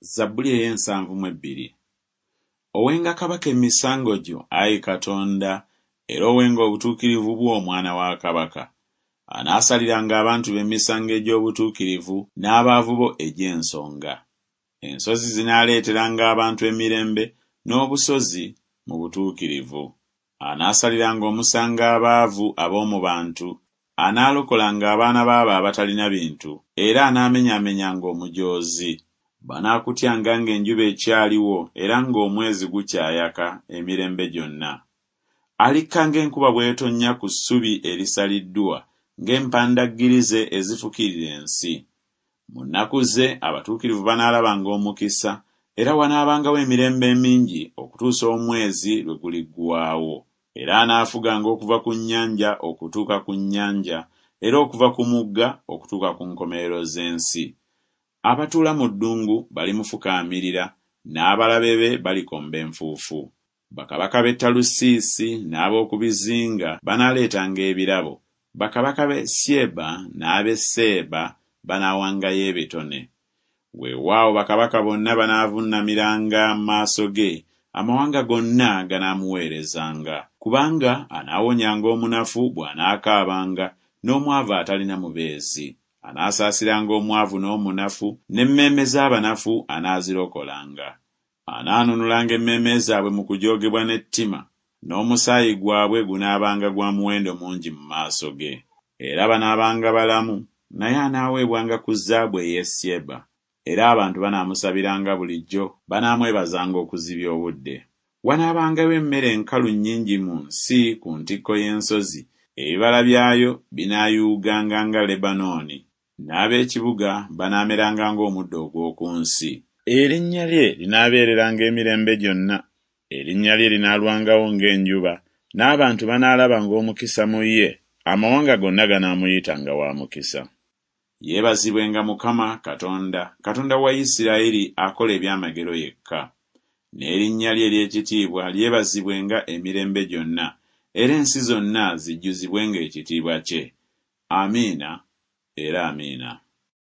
Zabbuli ey'ensanvu mu ebbiri. Owenga kabaka emisango gyo, ayi Katonda, era owenga obutuukirivu bwo omwana wa kabaka. Anaasaliranga abantu be emisango egy'obutuukirivu, n'abaavu bo egy'ensonga. Ensozi zinaaleeteranga abantu emirembe, n'obusozi mu butuukirivu. Anaasaliranga omusango abaavu ab'omu bantu, anaalokolanga abaana b'abo abatalina bintu, era anaamenyaamenyanga omujoozi. Banaakutyanga ng'enjuba ekyaliwo era ng'omwezi gukyayaka emirembe gyonna. Alikka ng'enkuba bw'etonnya ku ssubi erisaliddwa, ng'empandaggirize ezifukirira ensi. Mu nnaku ze abatuukirivu banaalabanga omukisa, era wanaabangawo emirembe emingi okutuusa omwezi lwe guliggwaawo. Era anaafuganga okuva ku nnyanja okutuuka ku nnyanja, era okuva ku mugga okutuuka ku nkomerero z'ensi. Abatuula mu ddungu balimufukaamirira, n'abalabe be balikomba enfuufu. Bakabaka b'e Talusiisi n'ab'oku bizinga banaaleetanga ebirabo, bakabaka b'e Syeba n'ab'e Seeba banaawangayo ebitone. Weewaawo bakabaka bonna banaavuunamiranga mu maaso ge, amawanga gonna ganaamuweerezanga. Kubanga anaawonyanga omunafu bw'anaakaabanga, n'omwavu atalina mubeezi. Anaasaasiranga omwavu n'omunafu, n'emmeeme z'abanafu anaazirokolanga. Anaanunulanga emmeeme zaabwe mu kujoogebwa n'ettima, n'omusaayi gwabwe gunaabanga gwa muwendo mungi mu maaso ge. Era banaabanga balamu, naye anaaweebwanga ku zaabu ey'e Syeba. Era abantu banaamusabiranga bulijjo, banaamwebazanga okuzibya obudde. Wanaabangawo emmere enkalu nnyingi mu nsi ku ntikko y'ensozi, ebibala byayo binaayuuganga nga Lebanooni, n'ab'ekibuga banaameranga ng'omuddo ogw'oku nsi. Erinnya lye linaabeereranga emirembe gyonna, erinnya lye linaalwangawo ng'enjuba, n'abantu banaalabanga omukisa mu ye, amawanga gonna ganaamuyitanga wa mukisa. Yeebazibwenga Mukama Katonda, Katonda wa Isirayiri akola ebyamagero yekka. N'erinnya lye ery'ekitiibwa lyebazibwenga emirembe gyonna, era ensi zonna zijjuzibwenga ekitiibwa kye. Amiina era Amiina.